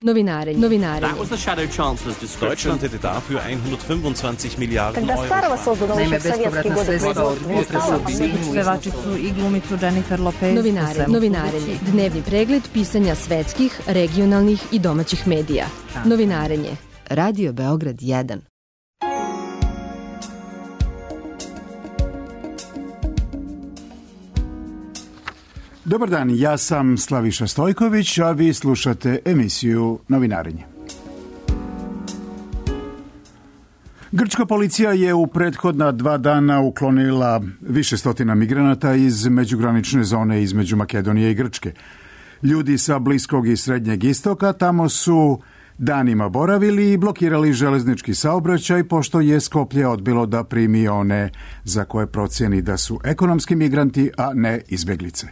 Novinarenje. That was the Shadow Chancellor's description. Deutschland hätte dafür 125 Miliarden Euro. Naime, bespovratna sredstva od pevačicu i glumicu Jennifer Lopez. Novinarenje. Dnevni pregled pisanja svetskih, regionalnih i domaćih medija. Novinarenje. Radio Beograd 1. Dobar dan, ja sam Slaviša Stojković, a vi slušate emisiju Novinarenje. Grčka policija je u prethodna 2 dana uklonila više stotina migranata iz međugranične zone između Makedonije i Grčke. Ljudi sa Bliskog i Srednjeg istoka tamo su danima boravili i blokirali železnički saobraćaj, pošto je Skoplje odbilo da primi one za koje procjeni da su ekonomski migranti, a ne izbeglice.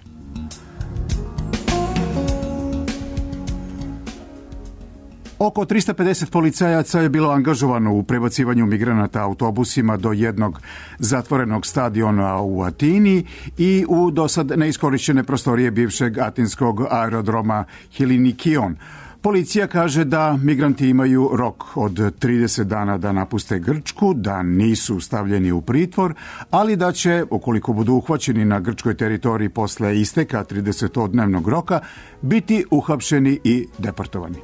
Oko 350 policajaca je bilo angažovano u prebacivanju migranata autobusima do jednog zatvorenog stadiona u Atini i u dosad neiskorišćene prostorije bivšeg atinskog aerodroma Helinikion. Policija kaže da migranti imaju rok od 30 dana da napuste Grčku, da nisu stavljeni u pritvor, ali da će, ukoliko budu uhvaćeni na grčkoj teritoriji posle isteka 30-dnevnog roka, biti uhapšeni i deportovani.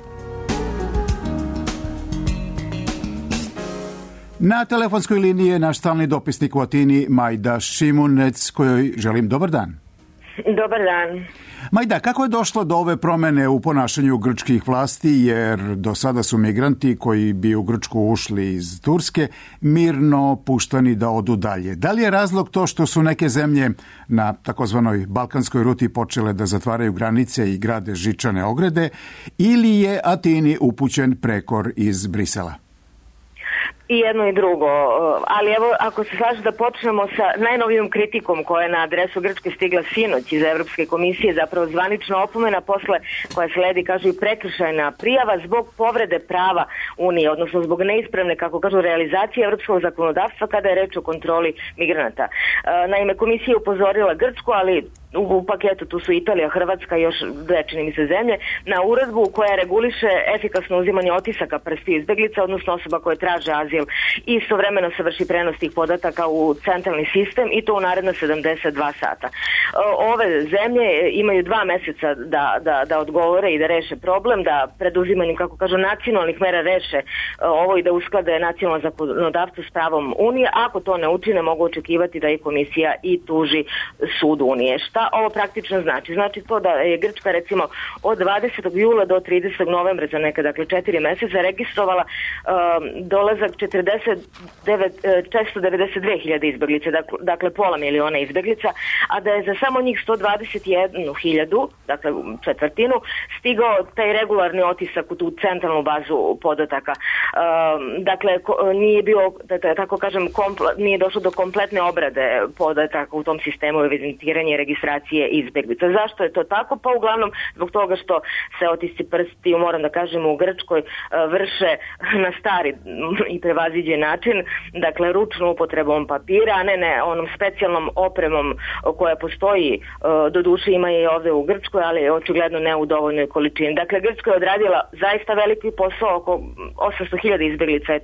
Na telefonskoj liniji je naš stalni dopisnik u Atini, Majda Šimunec, kojoj želim dobar dan. Dobar dan. Majda, kako je došlo do ove promene u ponašanju grčkih vlasti, jer do sada su migranti koji bi u Grčku ušli iz Turske mirno puštani da odu dalje? Da li je razlog to što su neke zemlje na takozvanoj balkanskoj ruti počele da zatvaraju granice i grade žičane ograde, ili je Atini upućen prekor iz Brisela? I jedno i drugo, ali evo ako se slaže da počnemo sa najnovijom kritikom koja je na adresu Grčke stigla sinoć iz Evropske komisije, zapravo zvanična opomena posle koja sledi, kažu, i prekršajna prijava zbog povrede prava Unije, odnosno zbog neispravne, kako kažu, realizacije evropskog zakonodavstva kada je reč o kontroli migranata. Naime, komisija je upozorila Grčku, ali u paketu tu su Italija, Hrvatska i još 2, čini mi se, zemlje, na uredbu koja reguliše efikasno uzimanje otisaka prstiju izbeglica, odnosno osoba koje traže azil, i istovremeno se vrši prenos tih podataka u centralni sistem i to u naredno 72 sata. Ove zemlje imaju 2 meseca da odgovore i da reše problem, da preduzimanjem, kako kažu, nacionalnih mera reše ovo i da usklade nacionalno zakonodavstvo s pravom Unije. Ako to ne učine, mogu očekivati da i komisija i tuži sud Unije. Šta ovo praktično znači? Znači to da je Grčka, recimo, od 20. jula do 30. novembra za neka, dakle, 4 meseca registrovala dolazak 492.000 izbeglica, dakle pola miliona izbeglica, a da je za samo njih 121.000, dakle četvrtinu, stigao taj regularni otisak u tu centralnu bazu podataka. Dakle, nije bio, tako kažem, nije došlo do kompletne obrade podataka u tom sistemu evidentiranja i registracije izbeglica. Zašto je to tako? Pa uglavnom zbog toga što se otisci prstiju, moram da kažem, u Grčkoj vrše na stari i prevaziđen način, dakle ručnom upotrebom papira, a ne onom specijalnom opremom koja postoji, doduše ima je i ovde u Grčkoj, ali očigledno ne u dovoljnoj količini. Dakle, Grčka je odradila zaista veliki posao, oko 800.000 izbeglica je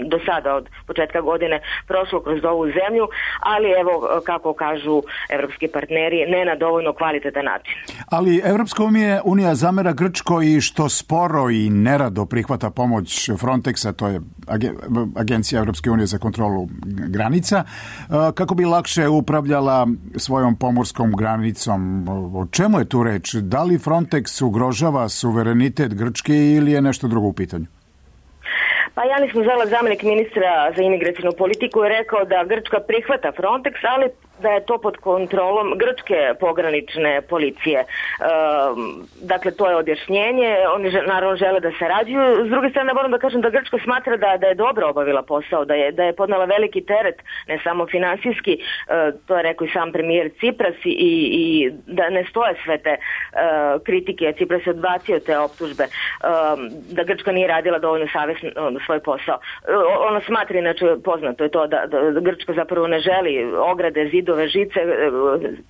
do sada od početka godine prošlo kroz ovu zemlju, ali evo, kako kažu evropski partneri, ne na dovoljno kvalitetan način. Ali Evropska unija zamera Grčkoj što sporo i nerado prihvata pomoć Frontexa, to je Agencija Evropske unije za kontrolu granica, kako bi lakše upravljala svojom pomorskom granicom. O čemu je tu reč? Da li Frontex ugrožava suverenitet Grčke ili je nešto drugo u pitanju? Pa Janis Muzela, zamjenik ministra za imigracijnu politiku, je rekao da Grčka prihvata Frontex, ali da je to pod kontrolom grčke pogranične policije. Dakle, to je objašnjenje. Oni naravno žele da sarađuju. S druge strane, moram da kažem da Grčka smatra da je dobro obavila posao, da je podnela veliki teret, ne samo finansijski, to je rekao i sam premijer Cipras, i da ne stoje sve te kritike. Cipras je odbacio te optužbe da Grčka nije radila dovoljno savjesno svoj posao. Ono smatra, inače poznato je to da Grčka zapravo ne želi ograde, zidove, zidove, žice,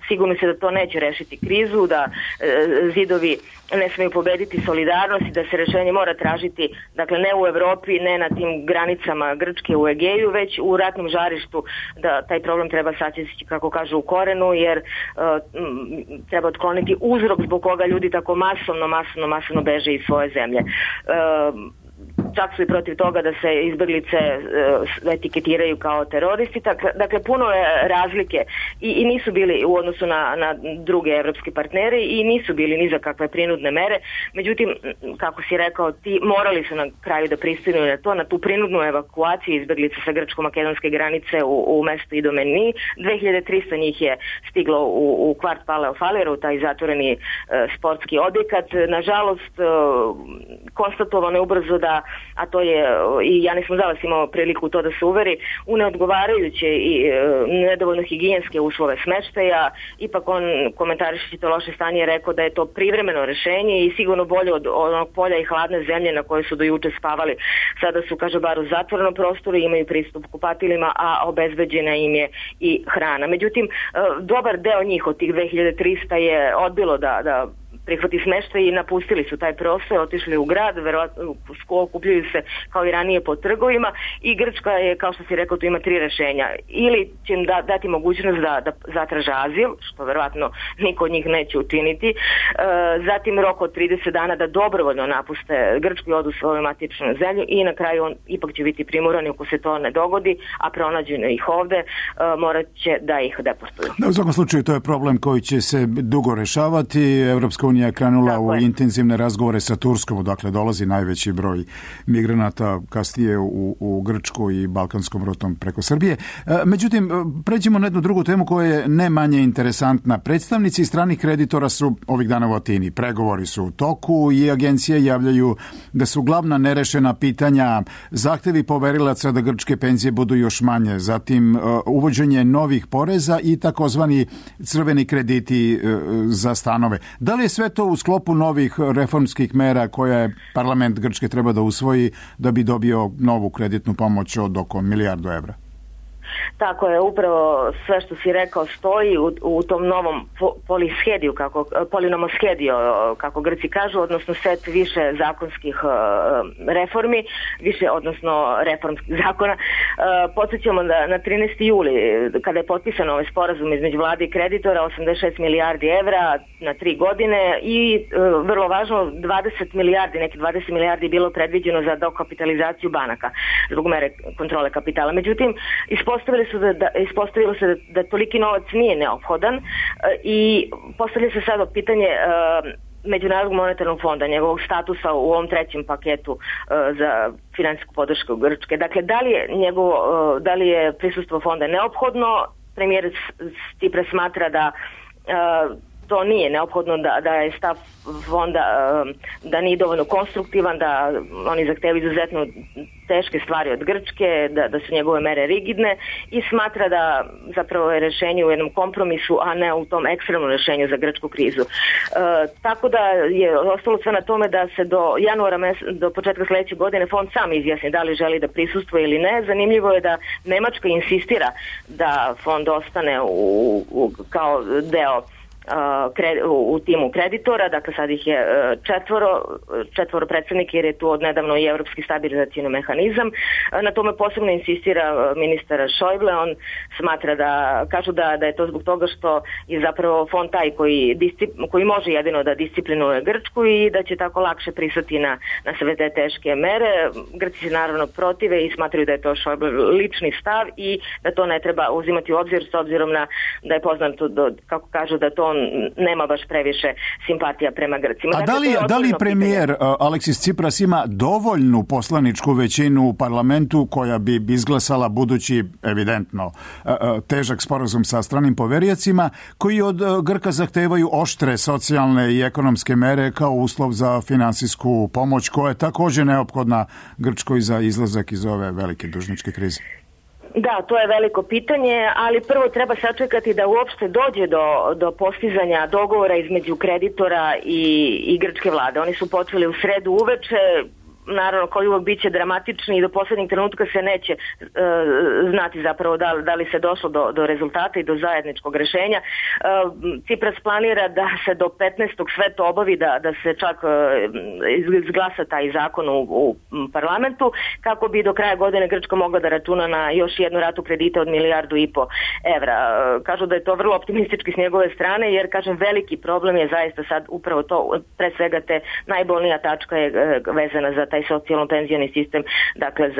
sigurno se da to neće rešiti krizu, da zidovi ne smiju pobediti solidarnost i da se rešenje mora tražiti, dakle ne u Evropi, ne na tim granicama Grčke u Egeju, već u ratnom žarištu, da taj problem treba sačistiti, kako kažu, u korenu, jer treba otkloniti uzrok zbog koga ljudi tako masovno beže iz svoje zemlje. Čak su i protiv toga da se izbeglice etiketiraju kao teroristi. Dakle, puno je razlike i nisu bili u odnosu na druge evropske partnere i nisu bili ni za kakve prinudne mere. Međutim, kako si rekao, ti morali su na kraju da pristanu na tu prinudnu evakuaciju izbeglica sa grčko-makedonske granice u mestu Idomeni. 2300 njih je stiglo u kvart Paleofalera, u taj zatvoreni sportski objekat. Nažalost, konstatovano je ubrzo da, a to je i Janis Muzalas imao priliku to da se uveri, u neodgovarajuće i nedovoljno higijenske uslove smeštaja. Ipak on, komentarišući to loše stanje, je rekao da je to privremeno rešenje i sigurno bolje od onog polja i hladne zemlje na kojoj su do juče spavali. Sada su, kaže, bar u zatvorenom prostoru, imaju pristup kupatilima, a obezbeđena im je i hrana. Međutim, dobar deo njih od tih 2300 je odbilo da prihvati smeštaj i napustili su taj prostor, otišli u grad, verovatno okupljaju se kao i ranije po trgovima i Grčka je, kao što si rekao, tu ima 3 rešenja. Ili će im dati mogućnost da zatraže azil, što verovatno niko od njih neće učiniti, zatim rok od 30 dana da dobrovoljno napuste Grčku i odu svoju matičnu zemlju i na kraju on ipak će biti primorani, ako se to ne dogodi, a pronađeno ih ovde, morat će da ih deportuju. U svakom slučaju to je problem koji će se dugo rešavati. Evropska unija je krenula u intenzivne razgovore sa Turskom, odakle dolazi najveći broj migranata, kasnije u Grčku i balkanskom rutom preko Srbije. Međutim, pređemo na jednu drugu temu koja je ne manje interesantna. Predstavnici stranih kreditora su ovih dana u Atini. Pregovori su u toku i agencije javljaju da su glavna nerešena pitanja zahtevi poverilaca da grčke penzije budu još manje, zatim uvođenje novih poreza i takozvani crveni krediti za stanove. Da li je sve to u sklopu novih reformskih mera koje parlament Grčke treba da usvoji da bi dobio novu kreditnu pomoć od oko 1 milijardu evra? Tako je, upravo sve što si rekao stoji u tom novom polinomoschedio, kako Grci kažu, odnosno set više zakonskih reformi, odnosno reformskih zakona. Podsjećamo da na 13. juli, kada je potpisan ovaj sporazum između vlade i kreditora, 86 milijardi evra na 3 godine i vrlo važno, 20 milijardi je bilo predviđeno za dokapitalizaciju banaka zbog mere kontrole kapitala. Međutim, ispostavilo se da toliki novac nije neophodan i postavlja se sada pitanje Međunarodnog monetarnog fonda, njegovog statusa u ovom 3. paketu za finansijsku podršku Grčke. Dakle, da li je prisustvo fonda neophodno? Premijer Tsipras smatra da to nije neophodno, da je stav fonda da nije dovoljno konstruktivan, da oni zahtevaju izuzetno teške stvari od Grčke, da su njegove mere rigidne i smatra da zapravo je rešenje u jednom kompromisu, a ne u tom ekstremnom rešenju za grčku krizu. Tako da je ostalo sve na tome da se do početka sledeće godine fond sam izjasni da li želi da prisustvuje ili ne. Zanimljivo je da Nemačka insistira da fond ostane kao deo u timu kreditora, dakle sad ih je četvoro predstavnika jer je tu odnedavno i Evropski stabilizacijni mehanizam. Na tome posebno insistira ministar Schäuble, on smatra kažu da je to zbog toga što je zapravo fond taj koji može jedino da disciplinuje Grčku i da će tako lakše pristati na sve te teške mere. Grci se naravno protive i smatraju da je to Schäuble lični stav i da to ne treba uzimati u obzir s obzirom da je poznato, kako kažu, da to nema baš previše simpatija prema Grcima. A da li premijer Aleksis Tsipras ima dovoljnu poslaničku većinu u parlamentu koja bi izglasala budući, evidentno, težak sporazum sa stranim poveriocima koji od Grka zahtevaju oštre socijalne i ekonomske mere kao uslov za finansijsku pomoć koja je također neophodna Grčkoj za izlazak iz ove velike dužničke krize? Da, to je veliko pitanje, ali prvo treba sačekati da uopšte dođe do postizanja dogovora između kreditora i grčke vlade. Oni su počeli u sredu uveče, naravno koji uvijek bit će dramatični i do posljednjeg trenutka se neće znati zapravo da li se došlo do rezultata i do zajedničkog rješenja. Tsipras planira da se do 15. sve to obavi, da se čak izglasa taj zakon u parlamentu, kako bi do kraja godine Grčka mogla da računa na još jednu ratu kredita od 1,5 milijardu evra. Kažu da je to vrlo optimistički s njegove strane, jer kažem veliki problem je zaista sad upravo to, pre svega te najbolnija tačka je vezana za taj socijalno-penzioni sistem, dakle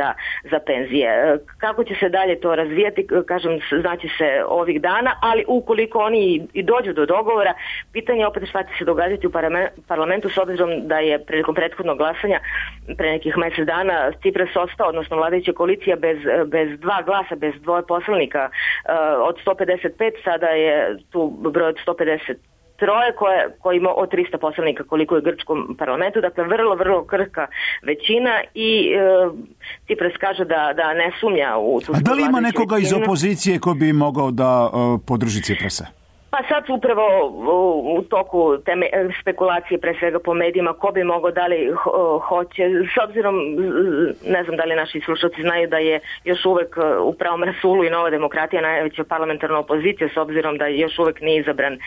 za penzije. Kako će se dalje to razvijati, kažem, znači se ovih dana, ali ukoliko oni i dođu do dogovora, pitanje je opet šta će se događati u parlamentu, s obzirom da je prilikom prethodnog glasanja pre nekih mjesec dana Tsipras ostao, odnosno vladajuća koalicija bez dva glasa, bez dvoje poslanika od 155, sada je tu broj od 153 koji ima od 300 poslanika koliko je u grčkom parlamentu, dakle vrlo, vrlo krhka većina i Tsipras kaže da ne sumnja u tu. A da li ima nekoga iz opozicije ko bi mogao da podrži Tsiprasa? Pa sad su upravo u toku te spekulacije, pre svega po medijima, ko bi mogao, da li hoće, s obzirom, ne znam da li naši slušalci znaju da je još uvek u pravom rasulu i Nova demokratija najveća parlamentarna opozicija, s obzirom da još uvek nije izabran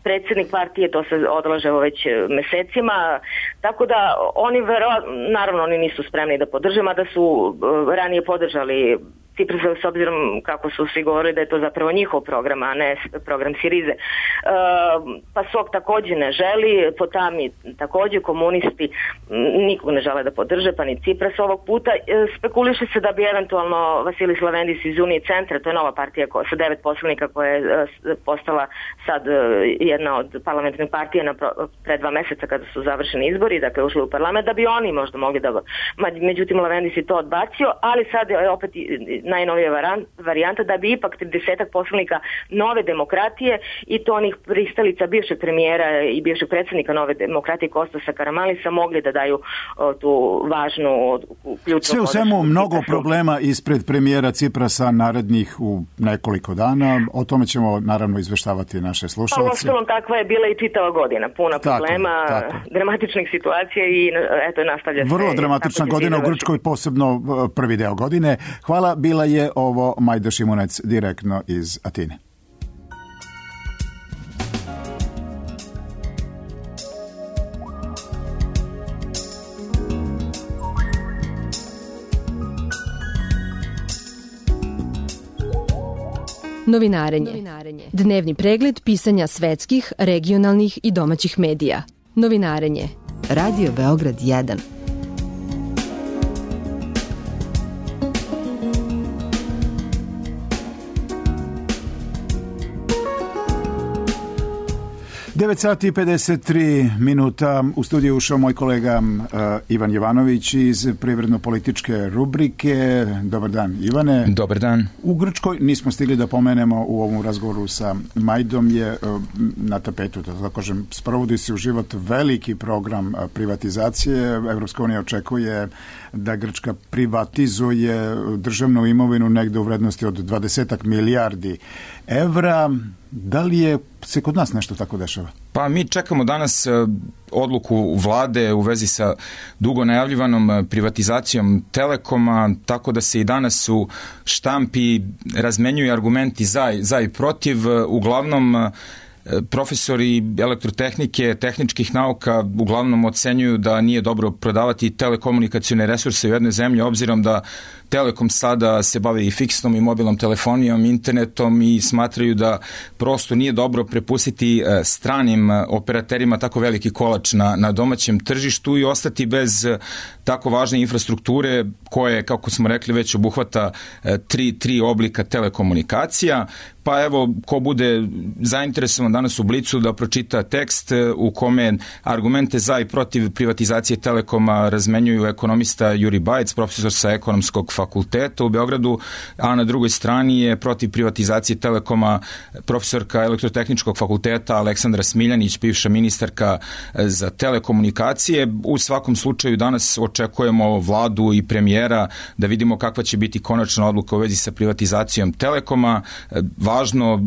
predsjednik partije, to se odlaže već mesecima, tako da oni naravno oni nisu spremni da podrže, mada su ranije podržali Tsipras, s obzirom kako su svi govorili da je to zapravo njihov program, a ne program Sirize. PASOK također ne želi, Potami također, komunisti nikog ne žele da podrže, pa ni Tsipras ovog puta. Spekuliše se da bi eventualno Vasilis Lavendis iz Unije centra, to je nova partija sa 9 poslanika koja je postala sad jedna od parlamentarnih partija pre 2 mjeseca kada su završeni izbori, dakle ušli u parlament, da bi oni možda mogli da... Međutim, Lavendis je to odbacio, ali sad je opet najnovija varijanta da bi ipak 30 poslanika Nove demokratije i to onih pristalica bivšeg premijera i bivšeg predsjednika Nove demokratije Kostasa Karamalisa mogli da daju tu važnu ključnu... Sve u svemu mnogo problema ispred premijera Tsiprasa narednih u nekoliko dana. O tome ćemo naravno izveštavati naše slušalce. Pa uostalom takva je bila i čitava godina. Puna problema, dramatičnih situacija i eto nastavlja se. Vrlo dramatična godina u Grčkoj, posebno prvi deo godine. Hvala, bila je ovo Majda Šimunec direktno iz Atine. Novinarenje. Dnevni pregled pisanja svetskih, regionalnih i domaćih medija. Novinarenje. Radio Beograd 1. Devet sati i 53 u studiju ušao moj kolega Ivan Jovanović iz privredno-političke rubrike. Dobar dan, Ivane. Dobar dan. U Grčkoj nismo stigli da pomenemo u ovom razgovoru sa Majdom je na tapetu, da kažem, sprovodi se u život veliki program privatizacije. Evropska unija očekuje da Grčka privatizuje državnu imovinu negde u vrednosti od 20 milijardi evra. Da li je se kod nas nešto tako dešava? Pa mi čekamo danas odluku vlade u vezi sa dugo najavljivanom privatizacijom Telekoma, tako da se i danas u štampi razmenjuju argumenti za i protiv. Uglavnom profesori elektrotehnike, tehničkih nauka uglavnom ocenjuju da nije dobro prodavati telekomunikacione resurse u jednoj zemlji, obzirom da Telekom sada se bavi i fiksnom i mobilnom telefonijom, internetom i smatraju da prosto nije dobro prepustiti stranim operaterima tako veliki kolač na domaćem tržištu i ostati bez tako važne infrastrukture koje, kako smo rekli, već obuhvata tri oblika telekomunikacija. Pa evo, ko bude zainteresovan danas u Blicu da pročita tekst u kome argumente za i protiv privatizacije Telekoma razmenjuju ekonomista Juri Bajec, profesor sa Ekonomskog fakulteta u Beogradu, a na drugoj strani je protiv privatizacije Telekoma profesorka Elektrotehničkog fakulteta Aleksandra Smiljanić, bivša ministarka za telekomunikacije. U svakom slučaju danas očekujemo vladu i premijera da vidimo kakva će biti konačna odluka u vezi sa privatizacijom Telekoma. Važno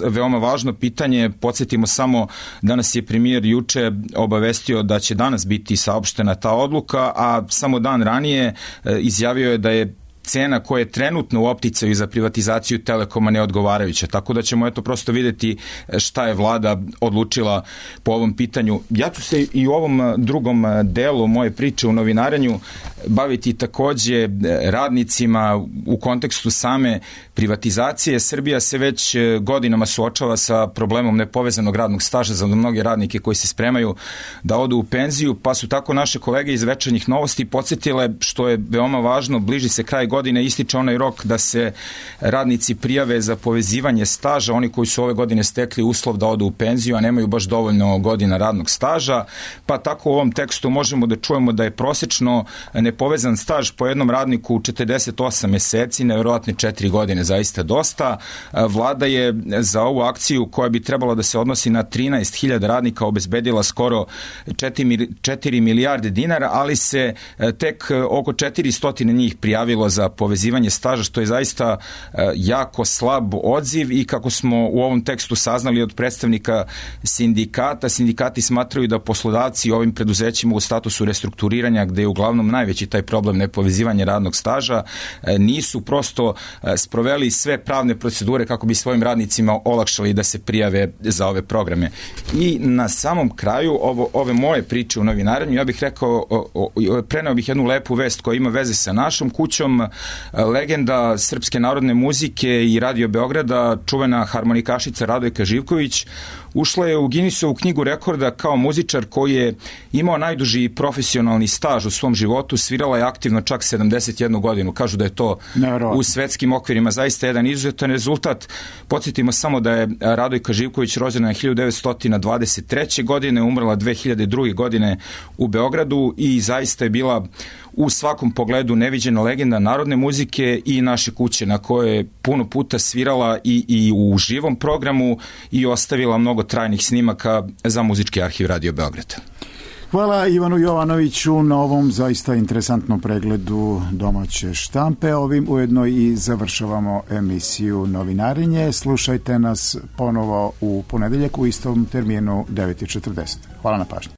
veoma važno pitanje. Podsjetimo samo, danas je premijer juče obavestio da će danas biti saopštena ta odluka, a samo dan ranije izjavio je da je cena koja je trenutno u opticaju za privatizaciju Telekoma neodgovarajuća, tako da ćemo prosto vidjeti šta je vlada odlučila po ovom pitanju. Ja ću se i u ovom drugom delu moje priče u novinarenju baviti takođe radnicima u kontekstu same privatizacije. Srbija se već godinama suočava sa problemom nepovezanog radnog staža za mnoge radnike koji se spremaju da odu u penziju, pa su tako naše kolege iz Večernjih novosti podsjetile, što je veoma važno, bliži se kraj godine, ističe onaj rok da se radnici prijave za povezivanje staža, oni koji su ove godine stekli uslov da odu u penziju, a nemaju baš dovoljno godina radnog staža, pa tako u ovom tekstu možemo da čujemo da je prosečno nepovezan staž po jednom radniku 48 meseci, nevjerovatne 4 godine, zaista dosta. Vlada je za ovu akciju, koja bi trebala da se odnosi na 13.000 radnika, obezbedila skoro 4 milijarde dinara, ali se tek oko 400 njih prijavilo za povezivanje staža, što je zaista jako slab odziv, i kako smo u ovom tekstu saznali od predstavnika sindikata, sindikati smatraju da poslodavci ovim preduzećima u statusu restrukturiranja, gde je uglavnom najveći taj problem nepovezivanje radnog staža, nisu prosto sproveli sve pravne procedure kako bi svojim radnicima olakšali da se prijave za ove programe. I na samom kraju ove moje priče u novinarenju, ja bih rekao, preneo bih jednu lepu vest koja ima veze sa našom kućom. Legenda srpske narodne muzike i Radio Beograda, čuvena harmonikašica Radojka Živković, ušla je u Guinnessovu knjigu rekorda kao muzičar koji je imao najduži profesionalni staž u svom životu. Svirala je aktivno čak 71 godinu. Kažu da je to u svetskim okvirima zaista jedan izuzetan rezultat. Podsjetimo samo da je Radojka Živković rođena 1923. godine, umrla 2002. godine u Beogradu i zaista je bila u svakom pogledu neviđena legenda narodne muzike i naše kuće, na kojoj je puno puta svirala i u živom programu i ostavila mnogo trajnih snimaka za muzički arhiv Radio Beograda. Hvala Ivanu Jovanoviću na ovom zaista interesantnom pregledu domaće štampe. Ovim ujedno i završavamo emisiju Novinarenje. Slušajte nas ponovo u ponedeljak u istom terminu 9:40. Hvala na pažnji.